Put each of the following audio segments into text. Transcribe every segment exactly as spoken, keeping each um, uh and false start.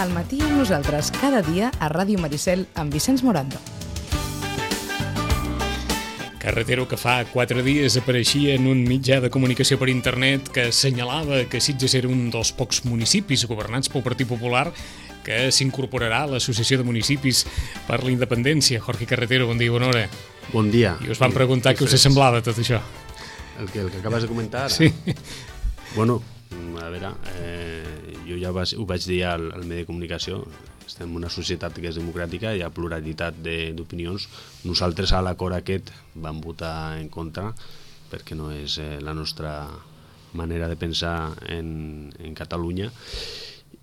Al matí amb nosaltres, cada dia a Ràdio Maricel amb Vicenç Morando. Carretero, que fa quatre dies apareixia en un mitjà de comunicació per internet que assenyalava que Sitges era un dels pocs municipis governats pel Partit Popular que s'incorporarà a l'Associació de Municipis per la Independència. Jorge Carretero, bon dia i bona hora. Bon dia. I us van preguntar què us semblava tot això. El que, el que acabes de comentar ara? Sí. Bueno, a veure, eh, jo ja vas, ho vaig dir al, al medi de comunicació, estem en una societat que és democràtica, hi ha pluralitat d'opinions. Nosaltres a l'acord aquest vam votar en contra perquè no és eh, la nostra manera de pensar en, en Catalunya.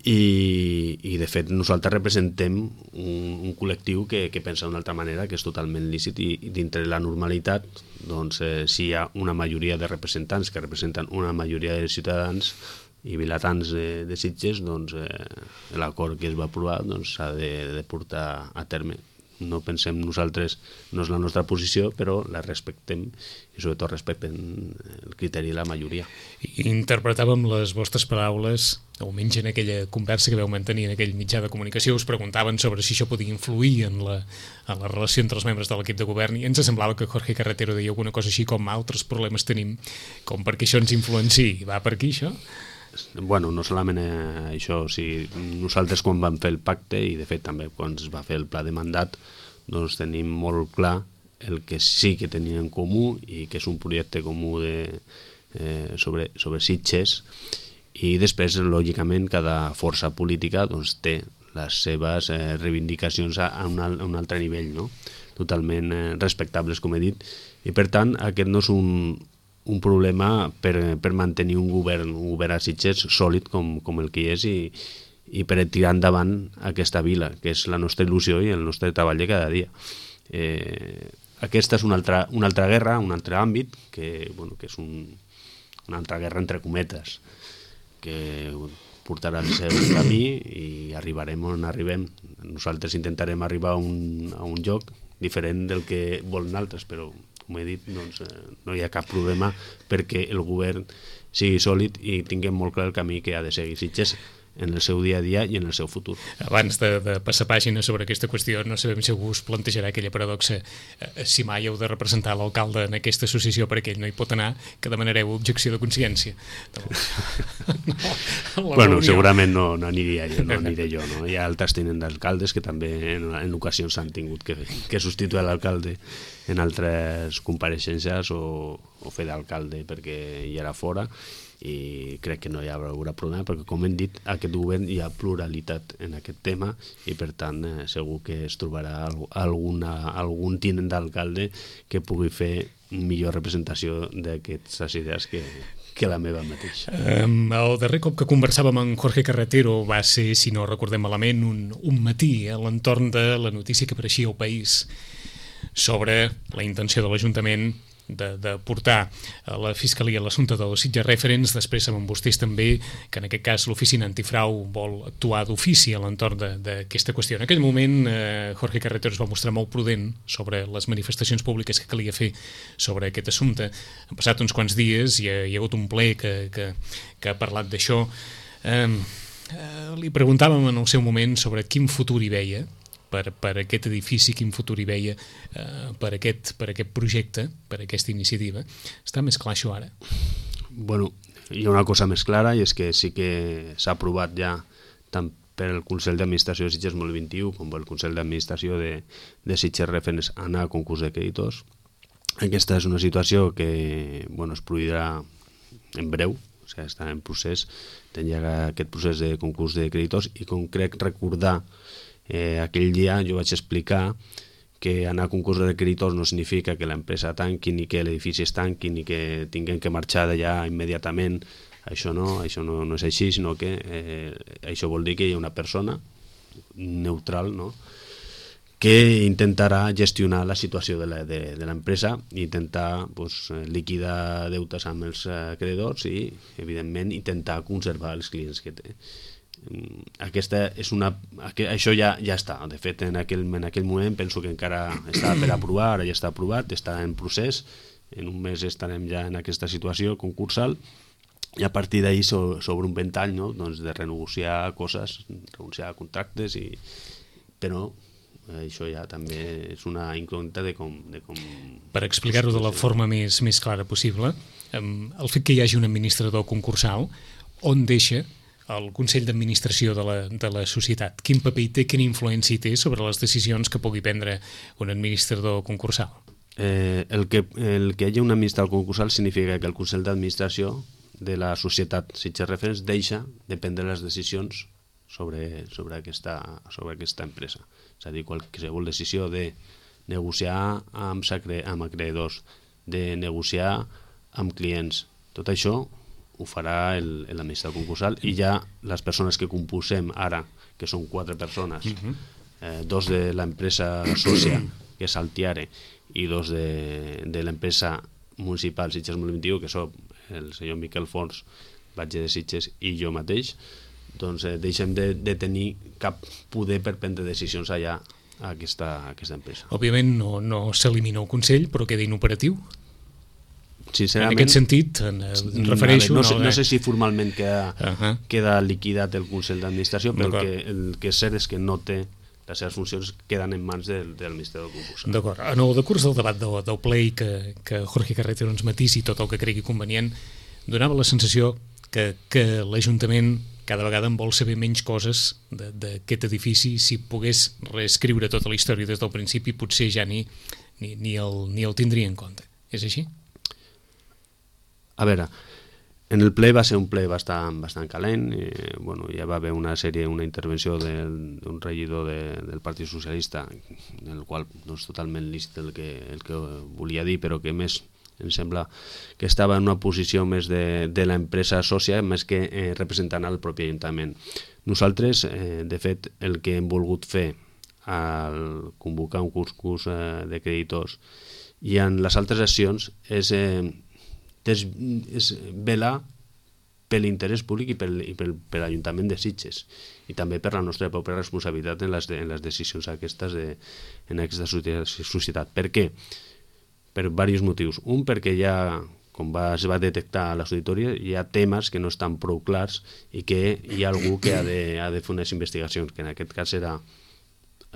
I, i de fet nosaltres representem un, un col·lectiu que, que pensa d'una altra manera, que és totalment lícit, i, i dintre la normalitat, doncs, eh, si hi ha una majoria de representants que representen una majoria de ciutadans i vilatans de, de Sitges, doncs eh, l'acord que es va aprovar doncs, s'ha de, de portar a terme. No pensem nosaltres, no és la nostra posició, però la respectem i sobretot respectem el criteri de la majoria. Interpretàvem les vostres paraules, almenys en aquella conversa que vau mantenir en aquell mitjà de comunicació, us preguntaven sobre si això podia influir en la, en la relació entre els membres de l'equip de govern, i ens semblava que Jorge Carretero deia alguna cosa així com altres problemes tenim, com perquè això ens influenciï. Va per aquí, això? Bueno, no solament eh, això, o sigui, nosaltres quan vam fer el pacte, i de fet també quan es va fer el pla de mandat, doncs tenim molt clar el que sí que tenim en comú i que és un projecte comú de, eh, sobre, sobre Sitges, i després, lògicament, cada força política doncs, té les seves eh, reivindicacions a, a, un, a un altre nivell, no? Totalment eh, respectables, com he dit, i per tant aquest no és un un problema per, per mantenir un govern, un govern a Sitges sòlid com, com el que hi és, i, i per tirar endavant aquesta vila, que és la nostra il·lusió i el nostre treball de cada dia. Eh, aquesta és una altra, una altra guerra, un altre àmbit, que, bueno, que és un, una altra guerra entre cometes, que portarà el seu camí i arribarem on arribem. Nosaltres intentarem arribar a un, a un lloc diferent del que volen altres, però com he dit, doncs, eh, no hi ha cap problema perquè el govern sigui sòlid i tinguem molt clar el camí que ha de seguir Sitges en el seu dia a dia i en el seu futur. Abans de, de passar pàgina sobre aquesta qüestió, no sabem si algú us plantejarà aquella paradoxa, eh, si mai heu de representar l'alcalde en aquesta associació perquè ell no hi pot anar, que demanareu objecció de consciència. No, bueno, segurament no, no aniria jo, no aniré jo, no? Hi ha altres tinents d'alcaldes que també en, en ocasions han tingut que, que substituir l'alcalde en altres compareixences o, o fer d'alcalde perquè hi era fora, i crec que no hi haurà problema perquè, com hem dit, aquest govern hi ha pluralitat en aquest tema i per tant eh, segur que es trobarà alguna, algun tinent d'alcalde que pugui fer millor representació d'aquestes idees que, que la meva mateixa. Um, el darrer cop que conversàvem amb Jorge Carretero va ser, si no recordem malament, un, un matí a l'entorn de la notícia que apareixia al País sobre la intenció de l'Ajuntament de, de portar a la Fiscalia l'assumpte dels Sitges Referents. Després sabem vostès també que en aquest cas l'oficina antifrau vol actuar d'ofici a l'entorn d'aquesta qüestió. En aquell moment eh, Jorge Carretero es va mostrar molt prudent sobre les manifestacions públiques que calia fer sobre aquest assumpte. Han passat uns quants dies i hi ha, hi ha hagut un ple que, que, que ha parlat d'això. Eh, eh, li preguntàvem en el seu moment sobre quin futur hi veia Per, per aquest edifici, quin futur hi veia, eh, per, aquest, per aquest projecte, per aquesta iniciativa. Està més clar això ara? Bueno, hi ha una cosa més clara, i és que sí que s'ha aprovat ja tant per el Consell d'Administració de Sitges dos mil vint-i-u com per el Consell d'Administració de, de Sitges Referents anar a concurs de creditors. Aquesta és una situació que bueno, es produirà en breu, o sigui, està en procés, tenia aquest procés de concurs de creditors, i com crec recordar Eh, aquell dia jo vaig explicar que anar a concurs de creditors no significa que l'empresa tanqui ni que l'edifici es tanqui ni que tinguem que marxar d'allà immediatament. Això no, això no, no és així, sinó que eh, això vol dir que hi ha una persona neutral, no?, que intentarà gestionar la situació de l'empresa i intentar pues, liquidar deutes amb els creditors i, evidentment, intentar conservar els clients que té. Aquesta és una, això ja, ja està, de fet en aquell, en aquell moment penso que encara està per aprovar, ara ja està aprovat, està en procés, en un mes estarem ja en aquesta situació concursal i a partir d'ahir so, sobre un ventall, no? Doncs de renegociar coses, renunciar a contractes, i... però això ja també és una incògnita de com... De com... Per explicar-ho de la forma més, més clara possible, el fet que hi hagi un administrador concursal, on deixa el Consell d'Administració de, la, de la societat? Quin paper té, quina influència té sobre les decisions que pugui prendre un administrador concursal? Eh, el, que, el que hi hagi un administrador concursal significa que el Consell d'Administració de la societat Sitges Referents deixa de prendre les decisions sobre, sobre, aquesta, sobre aquesta empresa. És a dir, qualsevol decisió de negociar amb, sacre, amb acreedors, de negociar amb clients, tot això ho farà l'administrador concursal, i ja les persones que compusem ara, que són quatre persones, eh, dos de l'empresa sòcia, que és Altiare, i dos de, de l'empresa municipal Sitges dos mil vint-i-u, que són el senyor Miquel Fons, batge de Sitges, i jo mateix, doncs eh, deixem de, de tenir cap poder per prendre decisions allà a aquesta, a aquesta empresa. Òbviament no, no s'elimina el Consell, però queda inoperatiu? Sincerament, en aquest sentit, en, en refereixo... No, no, sé, no sé si formalment queda, uh -huh. queda liquidat el Consell d'Administració, però el que, el que és cert és que no té, les seves funcions queden en mans del, del administrador concursal. D'acord. En el decurs del debat del, del ple, i que, que Jorge Carretero ens matisi tot el que cregui convenient, donava la sensació que, que l'Ajuntament cada vegada en vol saber menys coses d'aquest edifici. Si pogués reescriure tota la història des del principi, potser ja ni, ni, ni, el, ni el tindria en compte. És així? A veure, en el ple va ser un ple bastant, bastant calent. Eh, bueno, ja va haver una sèrie, una intervenció d'un regidor de, del Partit Socialista, en el qual no és totalment lícit el que, el que volia dir, però que més em sembla que estava en una posició més de, de l'empresa sòcia, més que eh, representant al propi Ajuntament. Nosaltres, eh, de fet, el que hem volgut fer al convocar un concurs eh, de creditors i en les altres accions és, eh, és, és velar per l'interès públic i per, i per, per l'Ajuntament de Sitges, i també per la nostra pròpia responsabilitat en les, en les decisions aquestes de, en aquesta societat. Per què? Per diversos motius. Un, perquè ja, com va, es va detectar a les auditories, hi ha temes que no estan prou clars i que hi ha algú que ha de, ha de fer unes investigacions, que en aquest cas era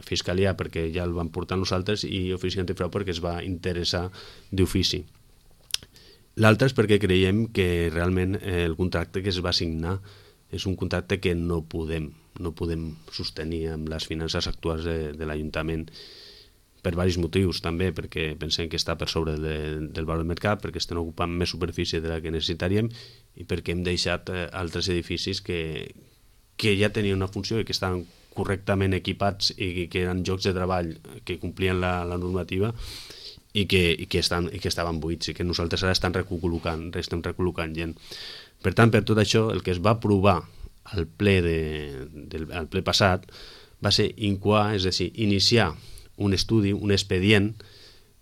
Fiscalia, perquè ja el van portar nosaltres, i Ofici Antifrau, perquè es va interessar d'ofici. L'altre és perquè creiem que realment el contracte que es va signar és un contracte que no podem, no podem sostenir amb les finances actuals de, de l'Ajuntament, per diversos motius també, perquè pensem que està per sobre de, del valor del mercat, perquè estem ocupant més superfície de la que necessitaríem, i perquè hem deixat eh, altres edificis que, que ja tenien una funció i que estaven correctament equipats i que eren llocs de treball que complien la, la normativa, i que, i, que estan, i que estaven buits, i que nosaltres ara estem recol·locant, estem recol·locant gent. Per tant, per tot això, el que es va aprovar al ple, de, del, al ple passat va ser incoar, és a dir, iniciar un estudi, un expedient,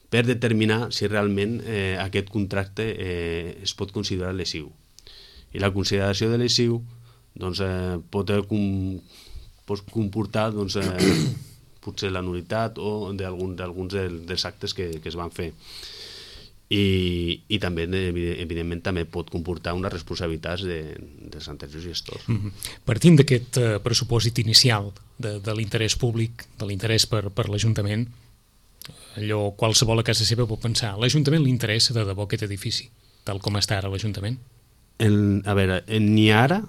per determinar si realment eh, aquest contracte eh, es pot considerar lesiu. I la consideració de lesiu doncs, eh, pot, com, pot comportar doncs, eh, potser la nulitat o d'alguns d'alguns dels actes que, que es van fer. I, i també, evidentment, també pot comportar unes responsabilitats de, dels anteriors gestors. Mm-hmm. Partint d'aquest uh, pressupòsit inicial de, de l'interès públic, de l'interès per, per l'Ajuntament, allò qualsevol a casa seva pot pensar, l'Ajuntament li interessa de debò aquest edifici, tal com està ara l'Ajuntament? El, a veure, ni ara,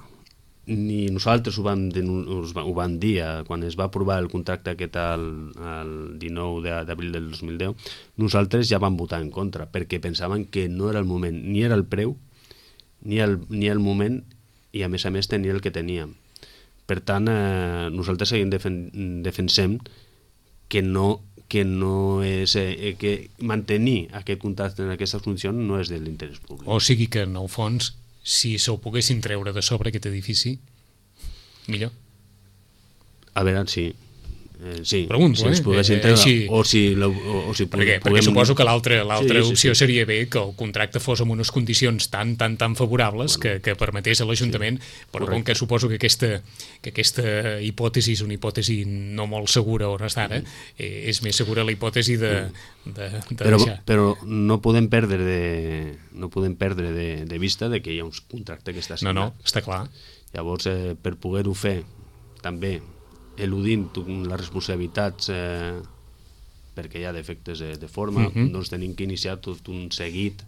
ni nosaltres ho vam, ho vam dir quan es va aprovar el contracte aquest el, el dinou d'abril del dos mil deu, nosaltres ja vam votar en contra, perquè pensaven que no era el moment, ni era el preu, ni el, ni el moment, i a més a més tenia el que teníem. Per tant, eh, nosaltres seguim defen defensem que no, que no és, eh, que mantenir aquest contracte en aquestes condicions no és de l'interès públic. O sigui que, en el fons, si se'l poguessin treure de sobre aquest edifici, millor. A veure, sí. Eh, sí, Pregunto, si ens eh? poguessin Eh, treure, així- o si, la, o, o si Perquè, puguem... perquè suposo que l'altra l'altra Sí, sí, opció sí. seria bé que el contracte fos amb unes condicions tan tan tan favorables que, que permetés a l'Ajuntament, però com que suposo que aquesta, que aquesta hipòtesi és una hipòtesi no molt segura on està ara, eh, és més segura la hipòtesi de, de, de Però, deixar. però no podem perdre de, no podem perdre de, de vista de que hi ha un contracte que està No, signat. no, està clar. Llavors, eh, per poder-ho fer, també eludint les responsabilitats eh, perquè hi ha defectes de, de forma, Mhm. doncs tenim que iniciar tot un seguit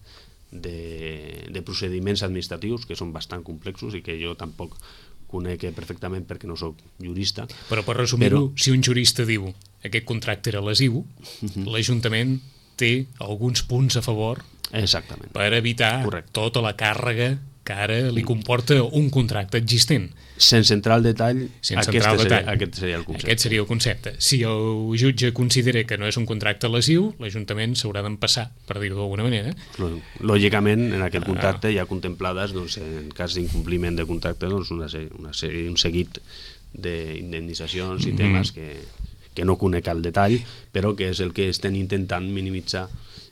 de, de procediments administratius que són bastant complexos i que jo tampoc conec perfectament perquè no sóc jurista. Però per resumir-ho, Però- si un jurista diu aquest contracte era lesiu, l'Ajuntament té alguns punts a favor Exactament. per evitar Correcte. tota la càrrega que ara li comporta un contracte existent. Sense entrar al detall, Sense aquest, entrar al seria, detall. aquest seria el concepte. Aquest seria el concepte. Si el jutge considera que no és un contracte lesiu, l'Ajuntament s'haurà d'empassar, per dir-ho d'alguna manera. Lò- Lògicament, en aquest contracte hi ha contemplades, doncs, en cas d'incompliment de contracte, doncs, una sèrie, una sèrie, un seguit d'indemnitzacions i temes que, que no conec al detall, però que és el que estem intentant minimitzar.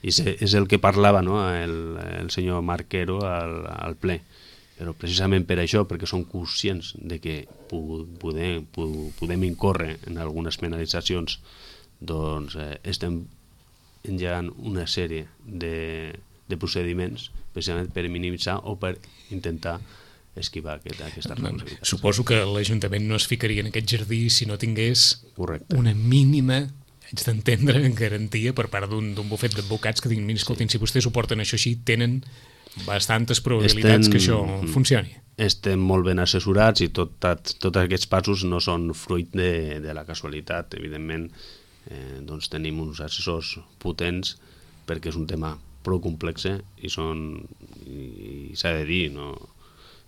I és, és el que parlava, no, el, el senyor Marquero al, al ple. Però precisament per això, perquè som conscients de que pu- podem, pu- podem incórrer en algunes penalitzacions, doncs eh, estem engegant una sèrie de, de procediments precisament per minimitzar o per intentar esquivar aquest, aquestes responsabilitats. Suposo que l'Ajuntament no es ficaria en aquest jardí si no tingués Correcte. una mínima, haig d'entendre, garantia per part d'un d'un bufet d'advocats que diguin, mira, escoltin, si vostès ho porten això així, tenen bastantes probabilitats Estem- que això funcioni. Estem molt ben assessorats i tot, tot, tots aquests passos no són fruit de, de la casualitat. Evidentment, eh, doncs tenim uns assessors potents perquè és un tema prou complex i són, i, i s'ha de dir, no,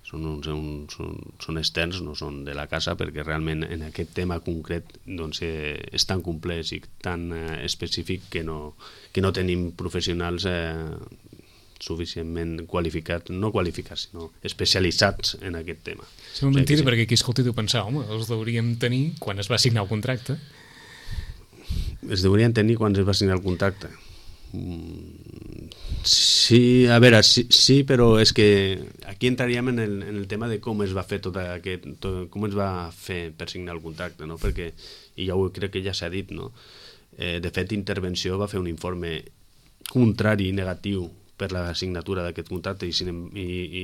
són, uns, un, són, són externs, no són de la casa, perquè realment en aquest tema concret doncs, eh, és tan complex i tan eh, específic que no, que no tenim professionals eh, suficientment qualificats, no qualificats, sinó especialitzats en aquest tema. Sembla O sigui mentida, que sí. perquè aquí, escolta, tu pensar, home, els hauríem tenir quan es va signar el contracte. Es deurien tenir quan es va signar el contracte. Mm, Sí, a veure, sí, sí, però és que aquí entraríem en el, en el tema de com es va fer tot aquest, tot, com es va fer per signar el contracte, no? Perquè, i ja ho crec que ja s'ha dit, no? Eh, de fet, Intervenció va fer un informe contrari, negatiu, per la signatura d'aquest contracte i, sin- i, i,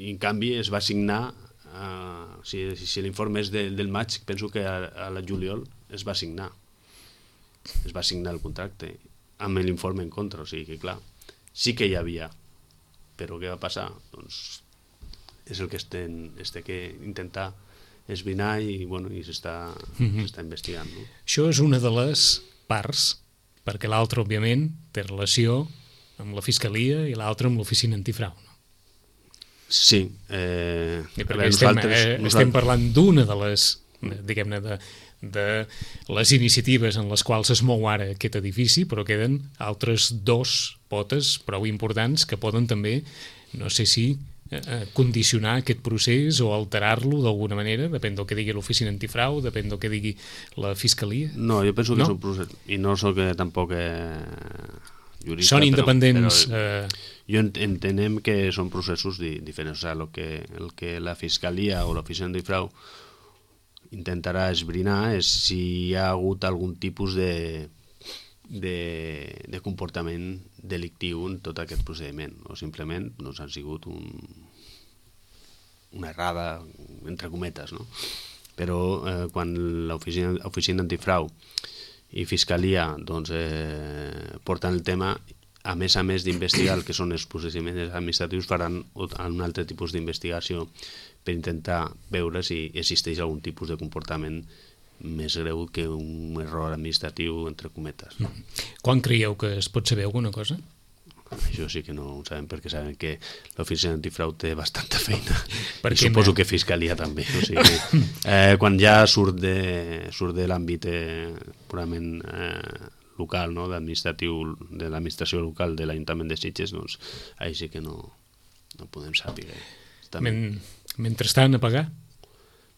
i en canvi es va signar, uh, si, si l'informe és de, del maig, penso que a, a la juliol es va signar. Es va signar el contracte amb l'informe en contra, o sigui que clar, sí que hi havia, però què va passar? Doncs és el que estem, este que intentar esbrinar i, bueno, i s'està Mhm. s'està investigant. No? Això és una de les parts, perquè l'altra, òbviament, té relació amb la Fiscalia i l'altra amb l'Oficina Antifrau. No? Sí. Eh, I a perquè veure, estem, nosaltres- eh, nosaltres- estem parlant d'una de les, diguem-ne, de, de les iniciatives en les quals es mou ara aquest edifici, però queden altres dos potes prou importants que poden també, no sé si, eh, eh, condicionar aquest procés o alterar-lo d'alguna manera, depèn del que digui l'Oficina Antifrau, depèn del que digui la Fiscalia. No, jo penso que No? són processos, i no sóc eh, tampoc eh, jurista, Són però- independents. però, Eh, jo ent- entenem que són processos di diferents. O sigui, el que, el que la Fiscalia o l'Oficina Antifrau intentarà esbrinar és si hi ha hagut algun tipus de, de, de comportament delictiu en tot aquest procediment, o simplement doncs, han sigut un, una errada, entre cometes, no? Però eh, quan l'oficina oficina antifrau i Fiscalia doncs, eh, porten el tema, a més a més d'investigar el que són els procediments administratius, faran un altre tipus d'investigació per intentar veure si existeix algun tipus de comportament més greu que un error administratiu, entre cometes. No? quan creieu que es pot saber alguna cosa? Això sí que no ho sabem, perquè sabem que l'oficina antifrau té bastanta feina Per i què suposo no? que Fiscalia també. O sigui, eh, quan ja surt de, surt de l'àmbit eh, purament eh, local, no? d'administratiu, de l'administració local de l'Ajuntament de Sitges, doncs ahí sí que no, no podem saber. També. Men, mentrestant, a pagar?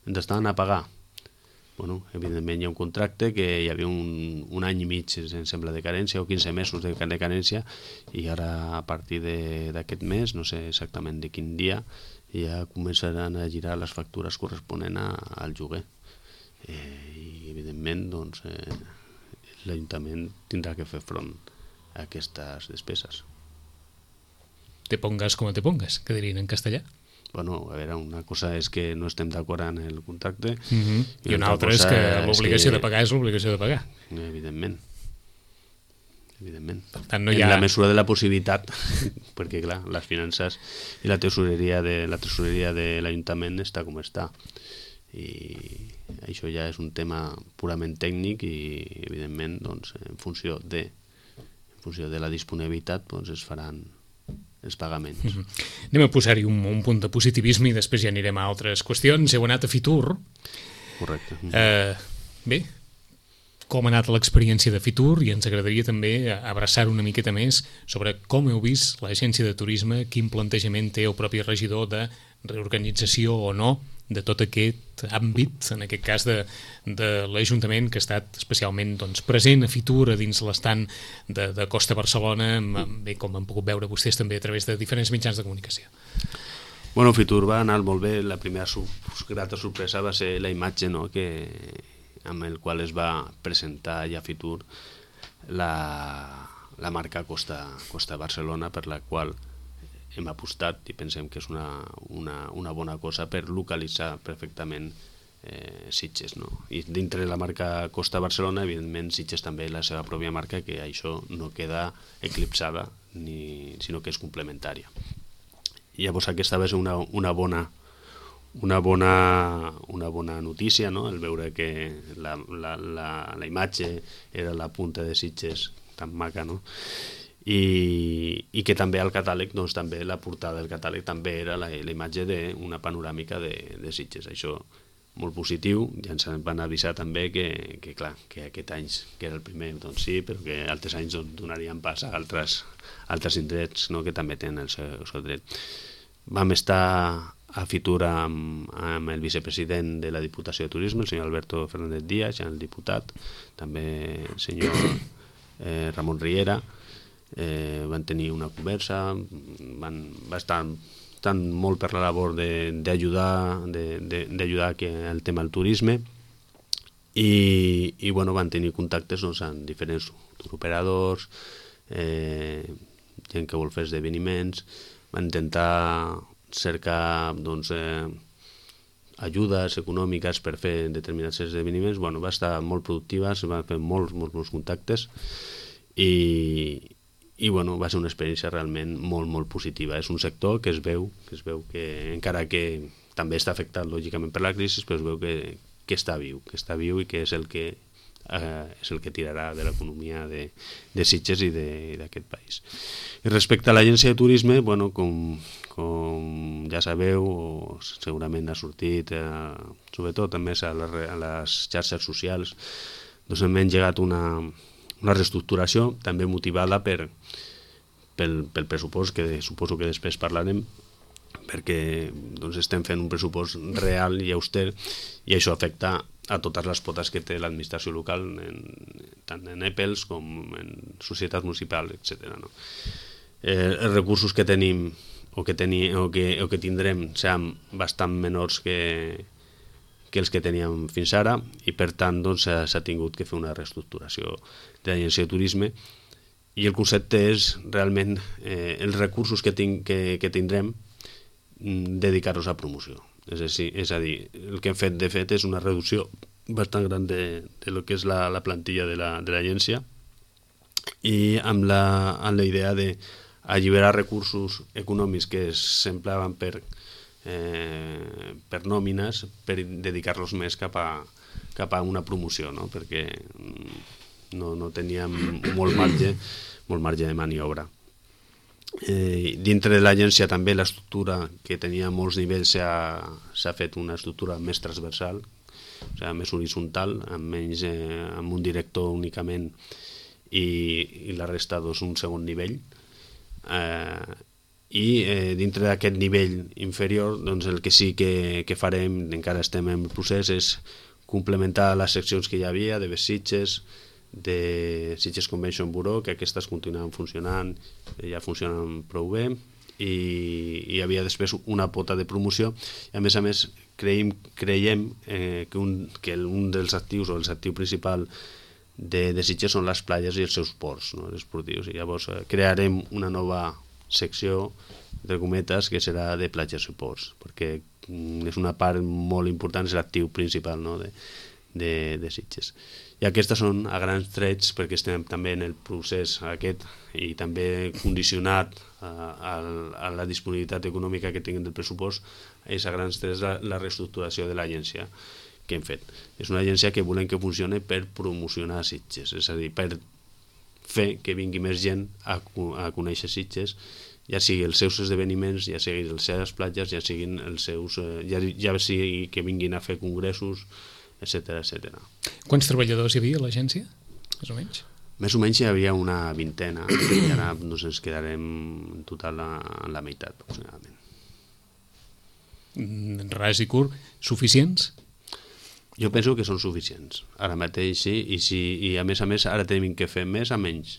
Mentrestant, a pagar. bueno, evidentment hi ha un contracte que hi havia un, un any i mig, em sembla, de carència, o quinze mesos de, de carència, i ara a partir d'aquest mes, no sé exactament de quin dia, ja començaran a girar les factures corresponents a, al lloguer. Eh, I evidentment doncs, eh, l'Ajuntament tindrà que fer front a aquestes despeses. Te pongas como te pongas, que dirien en castellà. Bueno, a veure, una cosa és que no estem d'acord en el contracte, uh -huh. i, i una altra és que l'obligació que... de pagar és l'obligació de pagar. Evidentment. Evidentment. Per tant, no hi ha... En la mesura de la possibilitat, perquè clar, les finances i la tesoreria de la tesoreria de l'Ajuntament està com està. I això ja és un tema purament tècnic i evidentment doncs, en funció de en funció de la disponibilitat doncs, es faran els pagaments. Uh -huh. Anem a posar-hi un, un punt de positivisme i després ja anirem a altres qüestions. Heu anat a Fitur. Correcte. Uh -huh. eh, bé, com ha anat l'experiència de Fitur, i ens agradaria també abraçar una miqueta més sobre com heu vist l'agència de turisme, quin plantejament té el propi regidor de reorganització o no de tot aquest àmbit, en aquest cas de, de l'Ajuntament, que ha estat especialment doncs, present a Fitur, a dins l'estant de, de Costa Barcelona, bé, com han pogut veure vostès també a través de diferents mitjans de comunicació. Bueno, Fitur va anar molt bé. La primera sub, grata sorpresa va ser la imatge, no?, que, amb el qual es va presentar ja a Fitur la, la marca Costa, Costa Barcelona, per la qual hem apostat i pensem que és una, una, una bona cosa per localitzar perfectament eh, Sitges, no? I dintre de la marca Costa Barcelona, evidentment, Sitges també la seva pròpia marca, que això no queda eclipsada, ni, sinó que és complementària. I llavors aquesta va ser una, una bona una bona, una bona notícia, no?, el veure que la, la, la, la imatge era la punta de Sitges tan maca, no?, I, i que també al catàleg, doncs també la portada del catàleg també era la, la imatge d'una panoràmica de, de Sitges. Això molt positiu, ja ens van avisar també que, que clar, que aquest any, que era el primer, doncs sí, però que altres anys doncs, donarien pas a altres, altres indrets, no?, que també tenen el seu, el seu dret. Vam estar a Fitur amb, amb el vicepresident de la Diputació de Turisme, el senyor Alberto Fernández Díaz, el diputat, també el senyor eh, Ramon Riera. Eh, van tenir una conversa, van, va estar tan molt per la labor d'ajudar d'ajudar el tema del turisme i, i bueno, van tenir contactes doncs, amb diferents turoperadors, eh, gent que vol fer esdeveniments, van intentar cercar doncs, eh, ajudes econòmiques per fer determinats esdeveniments. Bueno, va estar molt productiva, es van fer molts, molts, molts contactes i i bueno, va ser una experiència realment molt, molt positiva. És un sector que es veu que, es veu que encara que també està afectat lògicament per la crisi, però es veu que, que està viu, que està viu i que és el que, eh, és el que tirarà de l'economia de, de Sitges i d'aquest país. I respecte a l'agència de turisme, bueno, com, com ja sabeu, o segurament ha sortit, eh, sobretot també a les, a les xarxes socials, doncs hem engegat una una reestructuració també motivada per, pel, pel pressupost, que suposo que després parlarem, perquè doncs, estem fent un pressupost real i auster i això afecta a totes les potes que té l'administració local, en, tant en E P E Ls com en societats municipals, etcètera. No? Eh, els recursos que tenim o que, teni, o que, o que tindrem seran bastant menors que que els que teníem fins ara i per tant doncs, s'ha tingut que fer una reestructuració de l'agència de turisme i el concepte és realment eh, els recursos que, tinc, que, que tindrem dedicar-los a promoció. És a, dir, és a dir, el que hem fet de fet és una reducció bastant gran de, de lo que és la, la plantilla de l'agència i amb la, amb la idea d'alliberar recursos econòmics que s'empleaven per Eh, per nòmines, per dedicar-los més cap a, cap a una promoció, no? Perquè no, no teníem molt marge, molt marge de maniobra. Eh, dintre de l'agència també l'estructura que tenia molts nivells s'ha fet una estructura més transversal, o sigui, més horitzontal, amb, menys, eh, amb un director únicament i, i la resta doncs, un segon nivell. Eh, i eh, dintre d'aquest nivell inferior doncs el que sí que, que farem, encara estem en el procés, és complementar les seccions que hi havia de Sitges, de Sitges Convention Bureau, que aquestes continuen funcionant, ja funcionen prou bé, i hi havia després una pota de promoció, i a més a més creiem, creiem eh, que, un, que un dels actius o el actiu principal de, de Sitges són les platges i els seus ports, no, esportius, i llavors eh, crearem una nova secció, entre cometes, que serà de platges i ports, perquè mm, és una part molt important, és l'actiu principal, no, de, de, de Sitges. I aquestes són a grans trets, perquè estem també en el procés aquest i també condicionat a, a, a la disponibilitat econòmica que tinguin del pressupost, és a grans trets la, la reestructuració de l'agència que hem fet. És una agència que volem que funcioni per promocionar Sitges, és a dir, per fer que vingui més gent a, a conèixer Sitges, ja sigui els seus esdeveniments, ja sigui les seves platges, ja siguin els seus, ja, ja sigui que vinguin a fer congressos, etcètera, etcètera. Quants treballadors hi havia a l'agència, més o menys? Més o menys hi havia una vintena, i ara doncs, ens quedarem en total a, a la meitat, aproximadament. Ras i curt, suficients? Jo penso que són suficients. Ara mateix sí, i, si, i a més a més ara tenim que fer més a menys.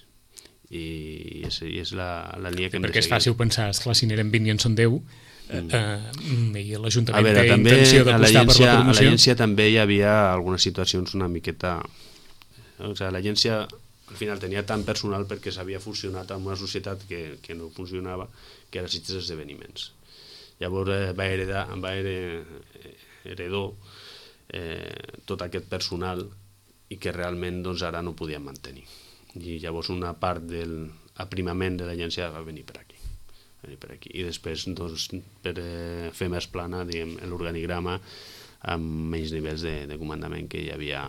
I és, i és la, la línia que hem de seguir. Perquè és fàcil pensar, esclar, si n'eren vint i en són deu, mm. eh, i l'Ajuntament veure, té també, intenció d'apostar per la promoció. A l'agència també hi havia algunes situacions una miqueta... O sigui, l'agència al final tenia tant personal perquè s'havia fusionat amb una societat que, que no funcionava, que era Sitges Esdeveniments. Llavors eh, va heredar, va heredar eh, tot aquest personal i que realment doncs, ara no podien mantenir. I llavors una part del aprimament de l'agència va venir per aquí. Va venir per aquí. I després doncs, per eh, fer més plana l'organigrama amb menys nivells de, de comandament que hi havia,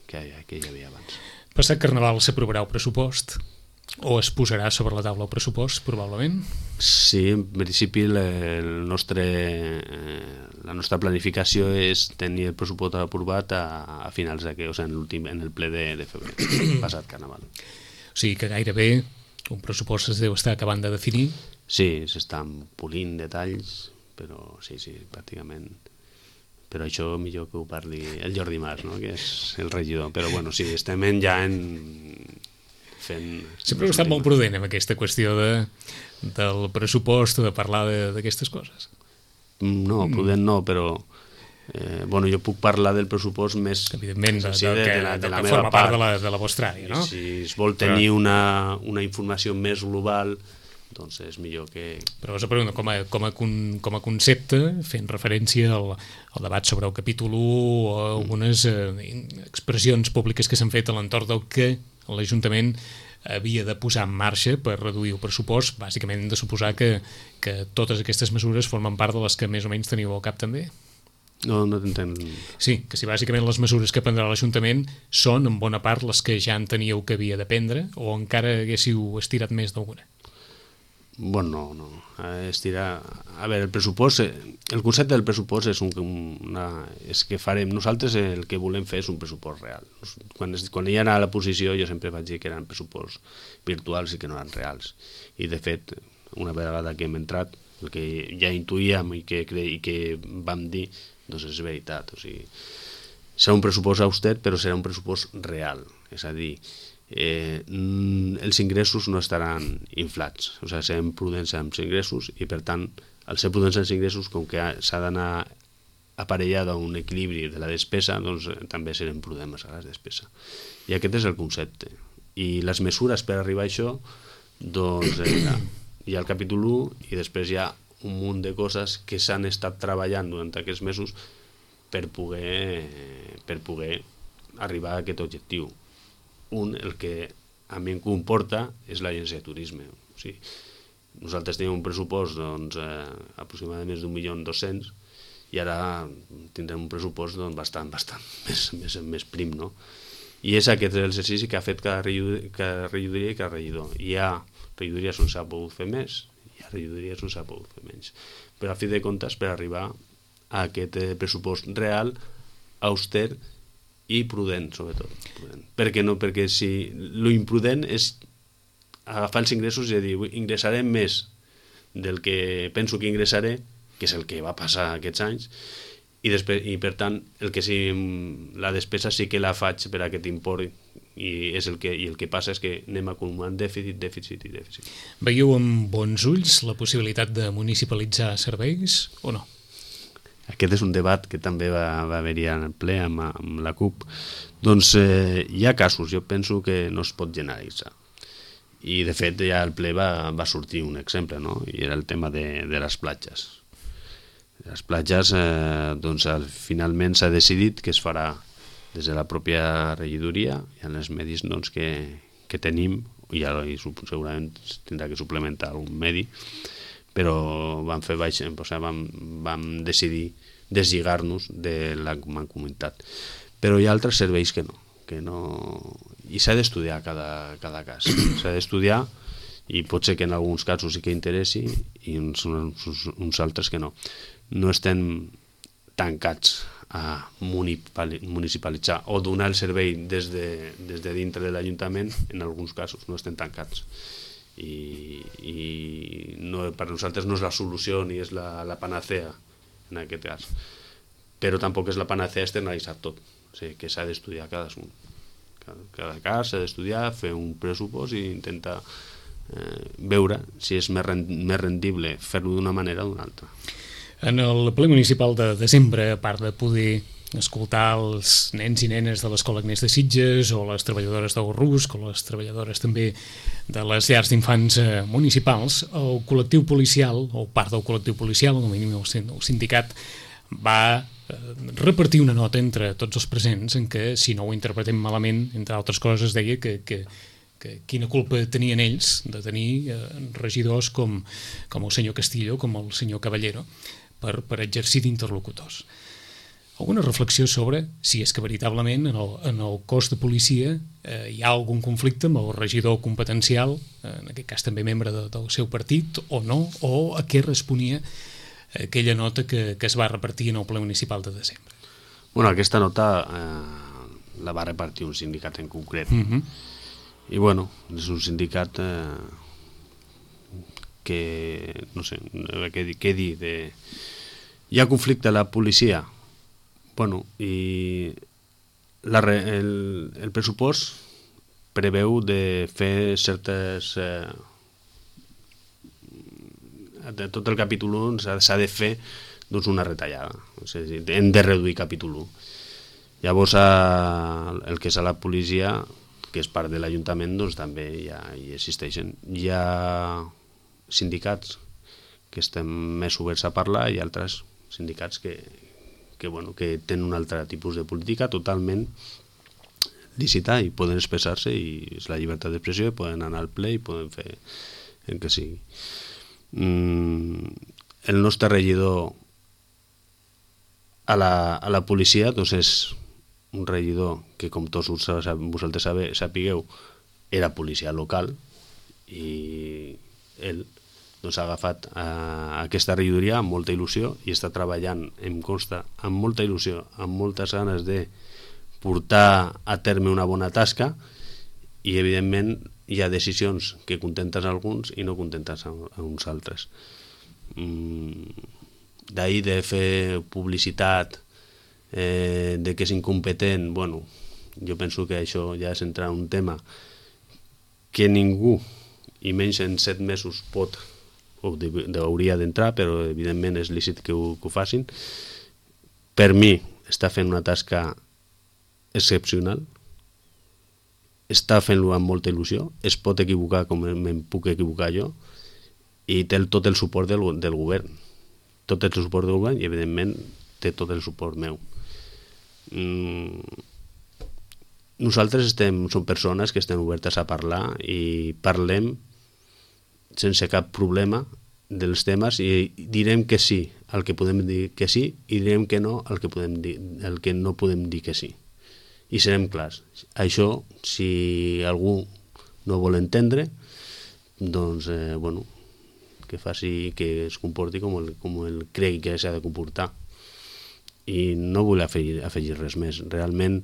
que, que hi havia abans. Passat Carnaval s'aprovarà el pressupost o es posarà sobre la taula el pressupost, probablement? Sí, en principi el nostre, eh, la nostra planificació és tenir el pressupost aprovat a, a finals d'aquest, o sigui, en, l'últim, en el ple de, de febrer, passat Carnaval. O sigui que gairebé un pressupost es deu estar acabant de definir? Sí, s'estan polint detalls, però sí, sí, pràcticament... Però això millor que ho parli el Jordi Mas, no? Que és el regidor. Però bueno, sí, estem ja en... fent... Sempre heu estat molt prudent amb aquesta qüestió de, del pressupost, de parlar d'aquestes coses. No, prudent no, però... Eh, bueno, jo puc parlar del pressupost més... Evidentment, de, sí, de, de, la, de la que meva forma part. part de la, de la vostra àrea, no? Si es vol tenir però... una, una informació més global, doncs és millor que... Però us pregunto, com a, com a, con, com a concepte, fent referència al, al debat sobre el capítol u o algunes eh, expressions públiques que s'han fet a l'entorn del que l'Ajuntament havia de posar en marxa per reduir el pressupost, bàsicament hem de suposar que, que totes aquestes mesures formen part de les que més o menys teniu al cap també? No, no t'entenc. Sí, que si bàsicament les mesures que prendrà l'Ajuntament són en bona part les que ja enteníeu que havia de prendre o encara haguéssiu estirat més d'alguna? Bueno, no, no. Estirar... A veure, el pressupost, el concepte del pressupost és, un, una, és que farem, nosaltres el que volem fer és un pressupost real. Quan, es, quan hi era a la posició jo sempre vaig dir que eren pressuposts virtuals i que no eren reals. I de fet, una vegada que hem entrat, el que ja intuïem i que, cre... i que vam dir, doncs és veritat. O sigui, serà un pressupost auster, però serà un pressupost real. És a dir, eh, els ingressos no estaran inflats, o sigui, serem prudents amb els ingressos i per tant, al ser prudents amb els ingressos, com que s'ha d'anar aparellada a un equilibri de la despesa, doncs també serem prudents a la despesa. I aquest és el concepte. I les mesures per arribar a això, doncs eh, hi ha el capítol u i després hi ha un munt de coses que s'han estat treballant durant aquests mesos per poder, per poder arribar a aquest objectiu. Un, el que a mi em comporta és l'agència de turisme. O sigui, nosaltres tenim un pressupost doncs, eh, aproximadament més d'un milió dos-cents i ara tindrem un pressupost doncs, bastant, bastant més, més, més prim, no? I és aquest l'exercici que ha fet cada regidoria i cada regidor. Hi ha regidories on s'ha pogut fer més, hi ha regidories on s'ha pogut fer menys. Però a fi de comptes, per arribar a aquest pressupost real, auster i prudent, sobretot. Prudent. Per què no? Perquè si l'imprudent és agafar els ingressos i dir, ingressarem més del que penso que ingressaré, que és el que va passar aquests anys, i, després, i per tant el que sí, la despesa sí que la faig per aquest import i, és el que, i el que passa és que anem acumulant dèficit, dèficit i dèficit. Veieu amb bons ulls la possibilitat de municipalitzar serveis o no? Aquest és un debat que també va, va haver-hi en ple amb, amb la CUP. Doncs eh, hi ha casos, jo penso que no es pot generalitzar. I de fet ja al ple va, va sortir un exemple, no? I era el tema de, de les platges. Les platges, eh, doncs finalment s'ha decidit que es farà des de la pròpia regidoria i en els medis doncs, que, que tenim, i ara i segurament tindrà que suplementar algun medi, però vam fer baix, o sigui, vam, vam decidir deslligar-nos de la mancomunitat. Però hi ha altres serveis que no, que no... i s'ha d'estudiar cada, cada cas. S'ha d'estudiar i pot ser que en alguns casos sí que interessi i uns, uns, uns altres que no. No estem tancats a municipalitzar o donar el servei des de, des de dintre de l'Ajuntament, en alguns casos no estem tancats. I, i no, per nosaltres no és la solució ni és la, la panacea en aquest cas, però tampoc és la panacea externalitzar tot, o sigui, que s'ha d'estudiar cadascun, cada, cada cas s'ha d'estudiar, fer un pressupost i intentar eh, veure si és més, rend, més rendible fer-ho d'una manera o d'una altra. En el ple municipal de desembre, a part de poder escoltar els nens i nenes de l'Escola Agnès de Sitges o les treballadores del Rusc o les treballadores també de les llars d'infants eh, municipals, el col·lectiu policial, o part del col·lectiu policial, o mínim el sindicat, va eh, repartir una nota entre tots els presents en què, si no ho interpretem malament, entre altres coses, deia que, que, que quina culpa tenien ells de tenir eh, regidors com, com el senyor Castillo, com el senyor Caballero, per, per exercir d'interlocutors. Alguna reflexió sobre si és que veritablement en el, en el cos de policia eh, hi ha algun conflicte amb el regidor competencial, eh, en aquest cas també membre de, del seu partit, o no, o a què responia aquella nota que, que es va repartir en el ple municipal de desembre. Bueno, aquesta nota eh, la va repartir un sindicat en concret. Uh-huh. I bueno, és un sindicat eh, que, no sé, què, què dir, de... hi ha conflicte a la policia? Bueno, i la, el, el pressupost preveu de fer certes... Eh, de tot el capítol u s'ha de fer doncs, una retallada. O sigui, hem de reduir capítol u. Llavors, a, el que és a la policia, que és part de l'Ajuntament, doncs també ja hi existeixen. Hi ha sindicats que estem més oberts a parlar i altres sindicats que... Que, bueno, que tenen un altre tipus de política totalment lícita i poden expressar-se i és la llibertat d'expressió i poden anar al ple i poden fer el que sigui. Mm, el nostre regidor a la, a la policia doncs és un regidor que, com tots vosaltres sapigueu, era policia local i ell doncs ha agafat eh, aquesta regidoria amb molta il·lusió i està treballant, em consta, amb molta il·lusió, amb moltes ganes de portar a terme una bona tasca i, evidentment, hi ha decisions que contentes a alguns i no contentes a, a uns altres. Mm, d'ahir de fer publicitat eh, de que és incompetent, bueno, jo penso que això ja és entrar en un tema que ningú, i menys en set mesos, pot o hauria d'entrar, però evidentment és lícit que ho, que ho facin. Per mi està fent una tasca excepcional, està fent-lo amb molta il·lusió, es pot equivocar com me'n puc equivocar jo, i té tot el suport del, del govern, tot el suport del govern i evidentment té tot el suport meu. Mm. Nosaltres estem, som persones que estem obertes a parlar i parlem sense cap problema dels temes i direm que sí al que podem dir que sí i direm que no al que, podem dir, al que no podem dir que sí. I serem clars. Això, si algú no vol entendre, doncs, eh, bueno, que faci, que es comporti com el, com el cregui que s'ha de comportar. I no vull afegir, afegir res més. Realment,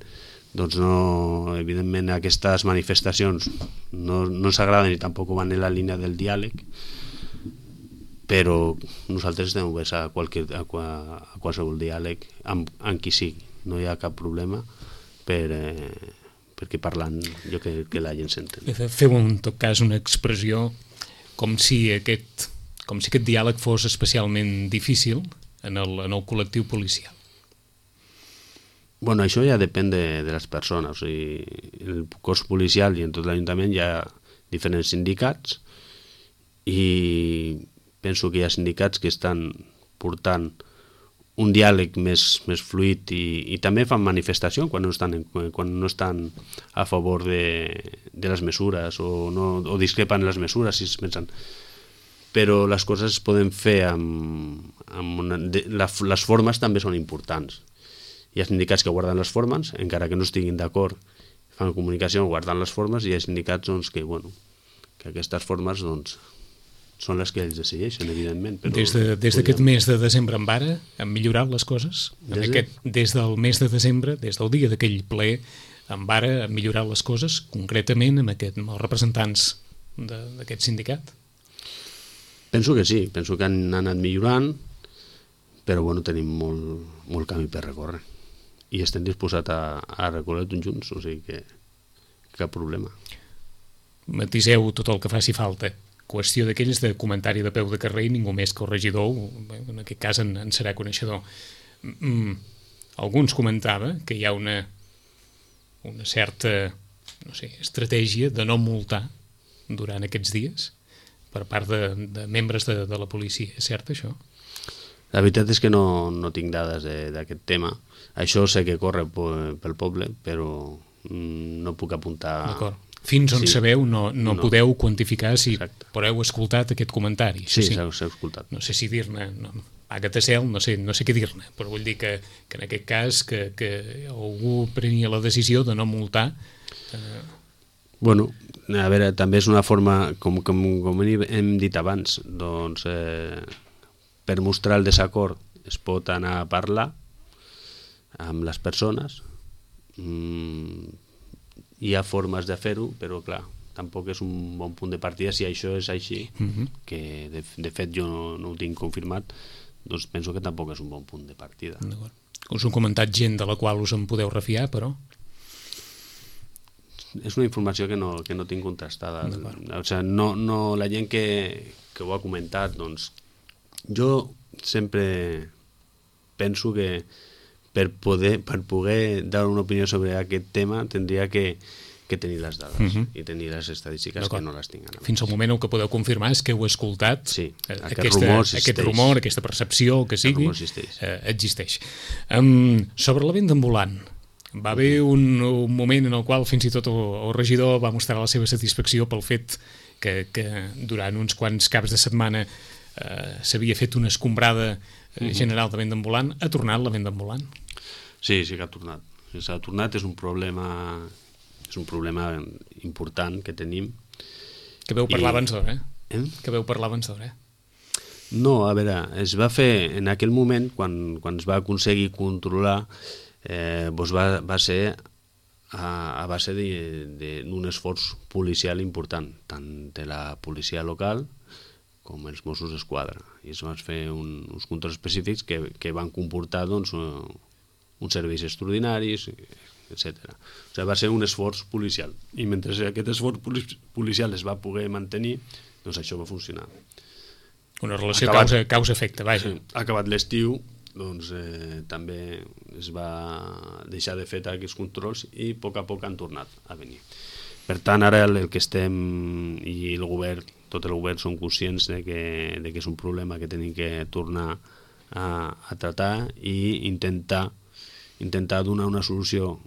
doncs no, evidentment aquestes manifestacions no, no ens agraden i tampoc van en la línia del diàleg, però nosaltres estem oberts a, qualque, a, a qualsevol diàleg amb, amb qui sigui, no hi ha cap problema per, eh, perquè parlant jo que, que la gent s'entén. Feu en tot cas una expressió com si aquest, com si aquest diàleg fos especialment difícil en el, en el col·lectiu policial. Bueno, això ja depèn de, de les persones. O sigui, el cos policial i en tot l'Ajuntament hi ha diferents sindicats i penso que hi ha sindicats que estan portant un diàleg més, més fluid i, i també fan manifestació quan no estan, quan no estan a favor de, de les mesures o, no, o discrepen les mesures, si es pensen. Però les coses es poden fer amb, amb una, de, la, les formes també són importants. Hi ha sindicats que guarden les formes, encara que no estiguin d'acord, fan comunicació guardant les formes, i hi ha sindicats doncs, que, bueno, que aquestes formes doncs, són les que ells decideixen, evidentment. Però des de, des d'aquest podríem... mes de desembre en ara, han millorat les coses? En des, aquest, des del mes de desembre, des del dia d'aquell ple, en ara han millorat les coses, concretament amb, aquest, amb els representants d'aquest sindicat? Penso que sí, penso que han anat millorant, però bueno, tenim molt, molt camí per recórrer. I estem disposats a, a recórrer tots junts, o sigui que cap problema. Matiseu tot el que faci falta. Qüestió d'aquells de comentari de peu de carrer i ningú més que el regidor, en aquest cas en, en serà coneixedor. Mm, alguns comentava que hi ha una, una certa, no sé, estratègia de no multar durant aquests dies per part de, de membres de, de la policia. És cert, això? La veritat és que no, no tinc dades d'aquest tema. Això sé que corre pel poble, però no puc apuntar... D'acord. Fins on sí. sabeu no, no, no podeu quantificar si Exacte. Però heu escoltat aquest comentari. Sí, sí. s'ha escoltat. No sé si dir-ne, no, paga't a cel, no sé, no sé què dir-ne, però vull dir que, que en aquest cas que, que algú prenia la decisió de no multar... Eh... Bueno, a veure, també és una forma, com, com, com hem dit abans, doncs eh, per mostrar el desacord es pot anar a parlar amb les persones. Mm, hi ha formes de fer-ho, però clar, tampoc és un bon punt de partida. Si això és així, uh-huh. que de, de fet jo no, no ho tinc confirmat, doncs penso que tampoc és un bon punt de partida. Us ho comentat gent de la qual us en podeu refiar, però? És una informació que no, que no tinc contrastada. O sigui, no, no, la gent que, que ho ha comentat, doncs jo sempre penso que per poder, per poder dar una opinió sobre aquest tema tindria que, que tenir les dades uh-huh. i tenir les estadístiques que no les tinc ara. Fins al moment el que podeu confirmar és que heu escoltat sí, aquest, aquesta, rumor aquest rumor, aquesta percepció, el que sigui, existeix. Eh, existeix. Um, sobre la venda ambulant, va haver un, un moment en el qual fins i tot el, el regidor va mostrar la seva satisfacció pel fet que, que durant uns quants caps de setmana eh, s'havia fet una escombrada uh-huh. general de venda ambulant. Ha tornat la venda ambulant? Sí, sí que ha tornat. S'ha tornat, és un problema és un problema important que tenim. Que veu parlar I... abans d'hora, eh? eh? Que veu parlar abans d'hora, eh? No, a veure, es va fer en aquell moment, quan, quan es va aconseguir controlar, eh, doncs va, va ser a, a base d'un esforç policial important, tant de la policia local com els Mossos d'Esquadra. I es van fer un, uns controls específics que, que van comportar doncs, uns serveis extraordinaris, etcètera. O sigui, va ser un esforç policial. I mentre aquest esforç policial es va poder mantenir, doncs això va funcionar. Una relació causa, causa-efecte, vaja. Ha acabat l'estiu, doncs eh, també es va deixar de fer aquests controls i a poc a poc han tornat a venir. Per tant, ara el, el que estem, i el govern, tot el govern són conscients de que, de que és un problema que tenim que tornar a, a tratar i intentar intentar donar una solució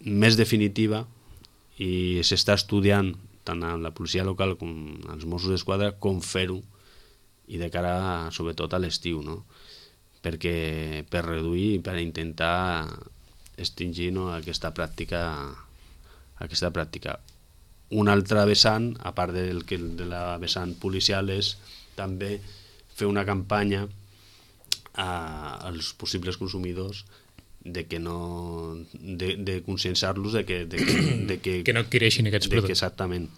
més definitiva, i s'està estudiant tant a la policia local com als Mossos d'Esquadra com fer-ho, i de cara sobretot a l'estiu, no? Perquè per reduir i per intentar extingir, no, aquesta pràctica aquesta pràctica. Un altre vessant, a part del que de la vessant policial, és també fer una campanya als possibles consumidors de que no de, de conscienciar-los de que, de, de que que no adquireixin aquests de productes. Que exactament,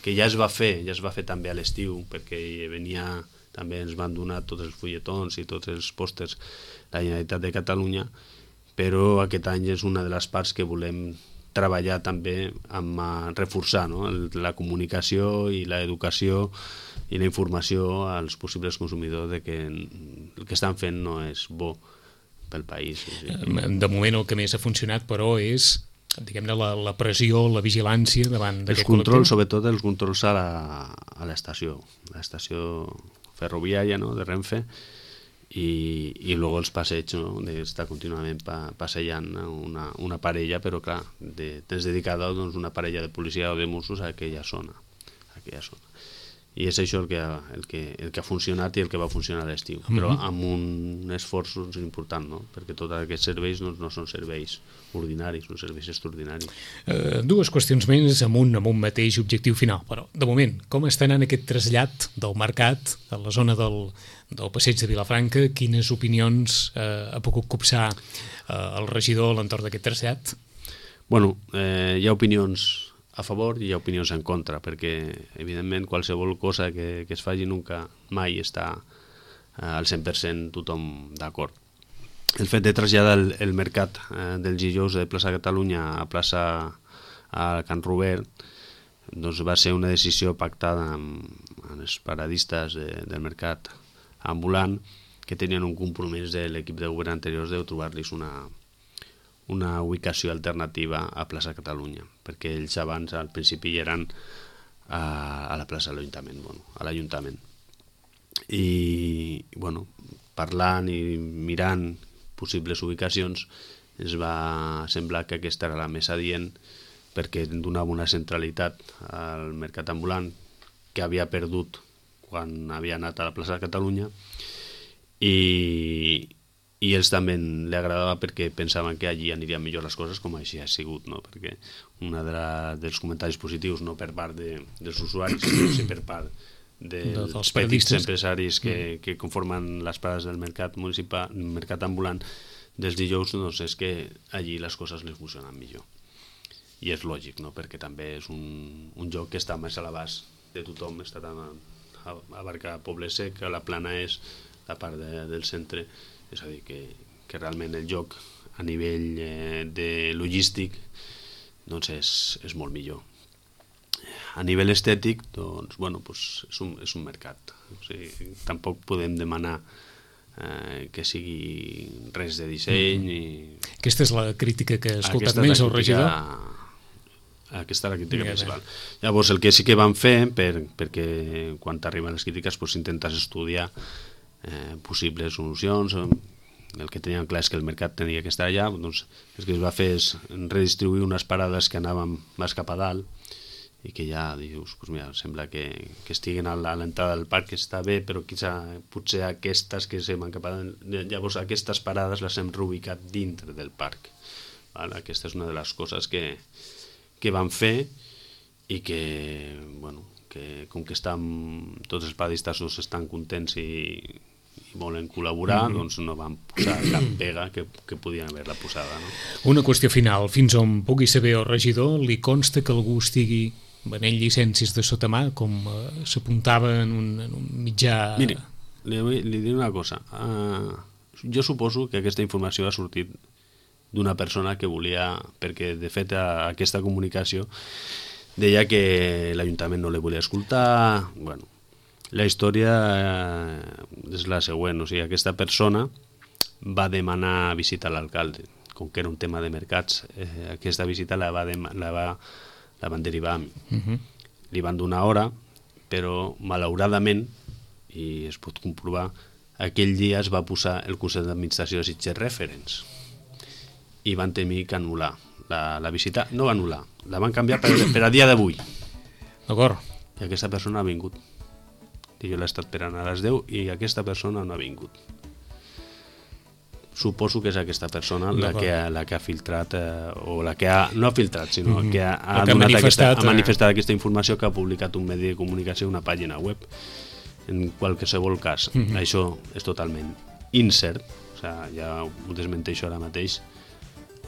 que ja es va fer, ja es va fer també a l'estiu, perquè venia, també ens van donar tots els fulletons i tots els pòsters la Generalitat de Catalunya, però aquest any és una de les parts que volem treballar també amb reforçar, no? La comunicació i l'educació i la informació als possibles consumidors de que el que estan fent no és bo pel país. Sí. De moment el que més ha funcionat, però, és diguem-ne la, la pressió, la vigilància davant d'aquest col·lectiu. Els controls, sobretot els controls a l'estació, a l'estació ferroviària, no?, de Renfe, i, i luego els passeigs, no?, d'estar contínuament pa, passejant una, una parella, però clar, de, tens dedicada doncs, una parella de policia o de Mossos a aquella zona, a aquella zona. I és això el que, ha, el, que, el que ha funcionat i el que va funcionar a l'estiu, mm-hmm. però amb un esforç doncs, important, no? Perquè tots aquests serveis doncs, no són serveis ordinaris, són serveis extraordinaris. Uh, dues qüestions més amb un, amb un mateix objectiu final, però de moment, com està anant aquest trasllat del mercat a la zona del, del passeig de Vilafranca? Quines opinions uh, ha pogut copsar uh, el regidor a l'entorn d'aquest trasllat? Bueno, eh, hi ha opinions a favor i hi ha opinions en contra, perquè evidentment qualsevol cosa que, que es faci nunca mai està eh, al cent per cent tothom d'acord. El fet de traslladar el, el mercat eh, dels dijous de plaça Catalunya a plaça a Can Robert doncs va ser una decisió pactada amb, amb els paradistes de, del mercat ambulant, que tenien un compromís de l'equip de govern anteriors de trobar-los una una ubicació alternativa a plaça Catalunya, perquè ells abans al principi eren a, a la plaça de l'Ajuntament, bueno, a l'Ajuntament. I, bueno, parlant i mirant possibles ubicacions, ens va semblar que aquesta era la més adient, perquè donava una centralitat al mercat ambulant que havia perdut quan havia anat a la plaça de Catalunya, i i ells també li agradava perquè pensaven que allí anirien millor les coses, com així ha sigut, no? Perquè un de dels comentaris positius, no per part de, dels usuaris, sinó sí per part dels de, petits empresaris que, mm. que conformen les parades del mercat municipal, mercat ambulant dels dijous, doncs és que allí les coses les funcionen millor. I és lògic, no? Perquè també és un, un lloc que està més a l'abast de tothom, està tan a, a abarcar Poble Sec, a la Plana és la part de, del centre. És a dir, que, que realment el joc a nivell eh, de logístic doncs és, és molt millor. A nivell estètic, doncs, bueno, doncs és, un, és un mercat. O sigui, tampoc podem demanar eh, que sigui res de disseny. Mm-hmm. I... Aquesta és la crítica que ha escoltat més el regidor? Aquesta és la crítica principal. Llavors, el que sí que van fer, per, perquè quan t'arriben les crítiques doncs, intentes estudiar Eh, possibles solucions. El que teníem clar és que el mercat tenia que estar allà, doncs el que es va fer és redistribuir unes parades que anaven més cap a dalt i que ja dius, pues mira, sembla que, que estiguen a l'entrada del parc, que està bé, però quizà, potser aquestes que se van cap a dalt, llavors aquestes parades les hem reubicat dintre del parc. Val? Aquesta és una de les coses que, que van fer i que, bueno, que com que estan, tots els paradistes estan contents i, i volen col·laborar, mm-hmm. doncs no van posar cap pega que, que podien haver-la posada. No? Una qüestió final, fins on pugui saber el regidor, li consta que algú estigui venent llicències de sota mà, com eh, s'apuntava en, un, en un mitjà... Miri, li, li diré una cosa. Uh, jo suposo que aquesta informació ha sortit d'una persona que volia, perquè de fet a, aquesta comunicació deia que l'Ajuntament no li volia escoltar. Bueno, la història és la següent, o sigui, aquesta persona va demanar visitar l'alcalde, com que era un tema de mercats, eh, aquesta visita la, va de, la, va, la van derivar a mi. Uh-huh. Li van donar hora, però malauradament, i es pot comprovar, aquell dia es va posar el Consell d'Administració de Sitges Referents i van tenir que anul·lar la, la visita. No va anul·lar, la van canviar per, per a dia d'avui. D'acord. I aquesta persona ha vingut. I jo l'he estat esperant a les deu i aquesta persona no ha vingut. Suposo que és aquesta persona la que, ha, la que ha filtrat, eh, o la que ha, no ha filtrat, sinó mm-hmm. que ha, ha, que ha, donat manifestat, aquesta, ha manifestat aquesta informació, que ha publicat un medi de comunicació, una pàgina web. En qualsevol cas, mm-hmm. això és totalment incert, o sigui, ja ho desmenteixo ara mateix,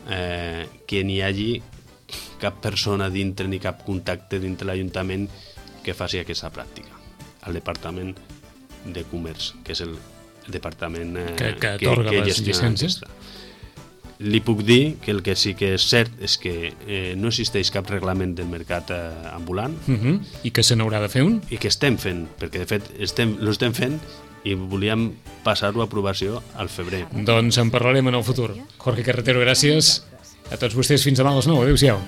eh, que n'hi hagi cap persona dintre ni cap contacte dintre l'Ajuntament que faci aquesta pràctica al Departament de Comerç, que és el departament eh, que, que, que, que que les gestiona llicències. aquesta. Li puc dir que el que sí que és cert és que eh, no existeix cap reglament del mercat eh, ambulant Uh -huh. I que se n'haurà de fer un? i que estem fent, perquè de fet estem, lo estem fent i volíem passar-ho a aprovació al febrer. Doncs en parlarem en el futur. Jorge Carretero, gràcies a tots vostès. Fins demà a les nou. Adéu-siau.